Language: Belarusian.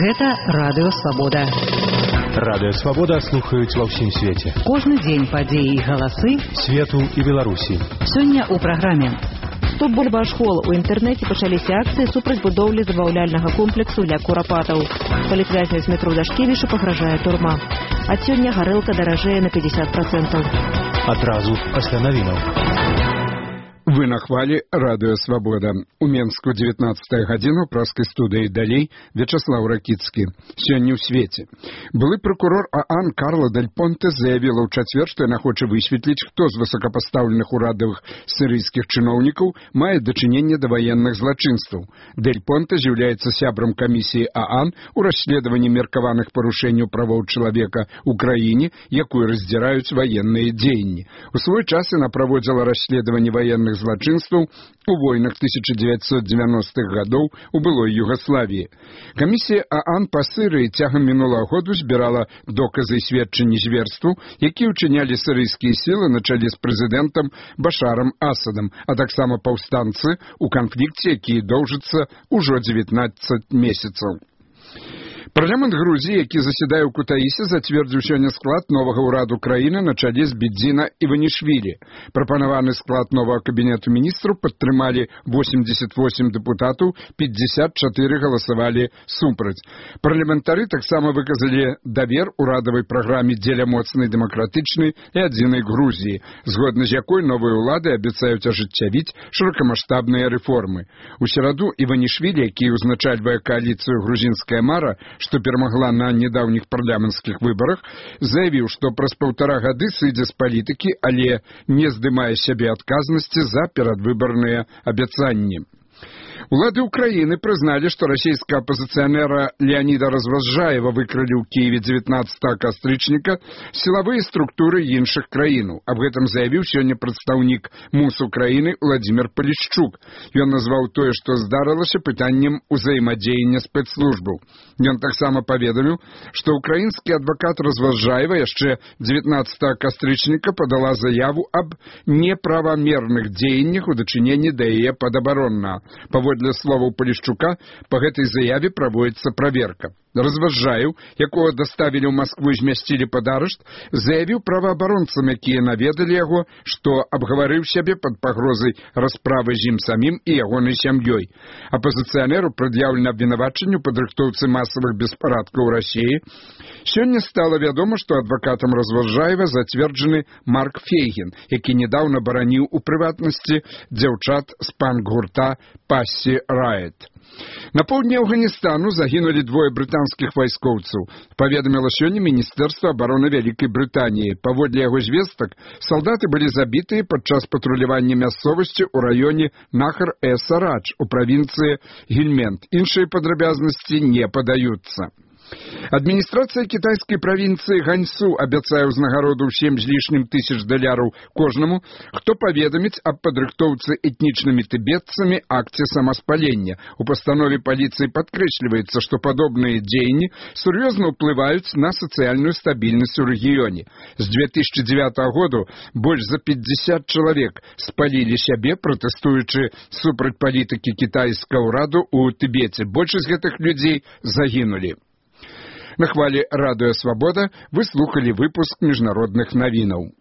Гэта Радыё Свабода. Радыё Свабода слухаюць ва ўсім свеце. Кожны дзень падзеі і галасы свету і Беларусі. Сёння ў праграме. Стоп бульбашкол. У інтэрнэце пачаліся акцыі супраць будоўлі забаўляльнага комплексу для курапатаў. Палітвязня з метро Дашкевіча пагражае турма. Ад сёння гарэлка даражэе на 50%. Адразу пасля навінаў. Вы на хвале Радыё Свабода. У Менску 19 гадзіна ў праскай студыі далей Вячаслаў Ракіцкі. Сёння ў свеце. Былы прокурор ААН Карла Дель Понте заявіла ў чацвер, што яна хоча высветліць, хто з высокапастаўленых урадавых сірыйскіх чыноўнікаў мае дачыненне да ваенных злачынстваў. Дель Понте з'яўляецца сябрам камісіі ААН у расследаванні меркаваных парушэнняў правоў чалавека ў краіне, якую раздзіраюць ваенныя дзеянні. У свой час яна праводзіла расследаванне ваенных злачынстваў у войнах 1990-х гадоў у былой Югаславіі. Камісія ААН па Сірыі цягам мінулага году збірала доказы і сведчанні зверству, якія ўчынялі сірыйскія сілы на чале з прэзідэнтам Башарам Асадам, а таксама паўстанцы ў канфлікце, які доўжыцца ўжо 19 месяцаў. Парламент Грузіі, які заседае ў Кутаісе, зацвердзіў сёння склад новага ўраду краіны на чале з Бедзіна Іванішвілі. Прапанаваны склад новага кабінету міністраў падтрымалі 88 дэпутатаў, 54 галасавалі супраць. Парламентары таксама выказалі давер урадавай праграме дзеля моцнай дэмакратычнай і адзінай Грузіі, згодна з якой новыя ўлады абяцаюць ажыццявіць шырокамаштабныя рэформы. У сераду Іванішвілі, які ўзначальвае кааліцыю «Грузінская мара», што перамагла на недаўніх парламенцкіх выбарах, заявіў, што праз 1,5 гады сыдзе з палітыкі, але не здымае сябе адказнасці за перадвыбарныя абяцанні. Улады Украіны прызналі, што расійскага апазіцыянера Леаніда Разважаева выкрылі ў Кіеве 19 кастрычніка сілавыя структуры іншых краінаў. Аб гэтым заявіў сёння прадстаўнік МУС Украіны Владзімір Палішчук. Ён назваў тое, што здарылася, пытаннем узаемадзеяння спецслужбаў. Ён таксама паведаміў, што украінскі адвакат Разважаева яшчэ 19 кастрычніка падала заяву аб неправамерных дзеяннях у дачыненні да яе падабароннага. Паводле словаў Палішчука, па гэтай заяве праводзіцца праверка. Разважаеў, якога даставілі ў Маскву і змясцілі пад арышт, заявіў праваабаронцам, якія наведалі яго, што абгаварыў сябе пад пагрозай расправы з ім самім і ягонай сям'ёй. Апазіцыянеру прад'яўлена абвінавачанне ў падрыхтоўцы масавых беспарадкаў у Расіі. Сёння стала вядома, што адвакатам Разважаева зацверджаны Марк Фейгін, які нядаўна бараніў у прыватнасці дзяўчат з панк-гурта Пассі Райт. На поўдні Афганістану загінулі 2 брытанскіх вайскоўцаў, паведаміла сёння Міністэрства абароны Вялікай Брытаніі. Паводле яго звестак, салдаты былі забітыя падчас патрулявання мясцовасці ў раёне Нахар-э-Сарадж у правінцыі Гельмент. Іншыя падрабязнасці не падаюцца. Адміністрацыя кітайскай правінцыі Ганьсу абяцае ўзнагароду ў 7 з лішнім тысяч даляраў кожнаму, хто паведаміць аб падрыхтоўцы этнічнымі тыбетцамі акце самаспалення. У пастанове паліцыі падкрэсліваецца, што падобныя дзеянні сур'ёзна ўплываюць на сацыяльную стабільнасць у рэгіёне. З 2009 году больш за 50 чалавек спалілі сябе, пратэстуючы супраць палітыкі кітайскага ўраду ў Тыбеце. Большасць гэтых людзей загінулі. На хвале Радыё Свабода вы слухалі выпуск міжнародных навінаў.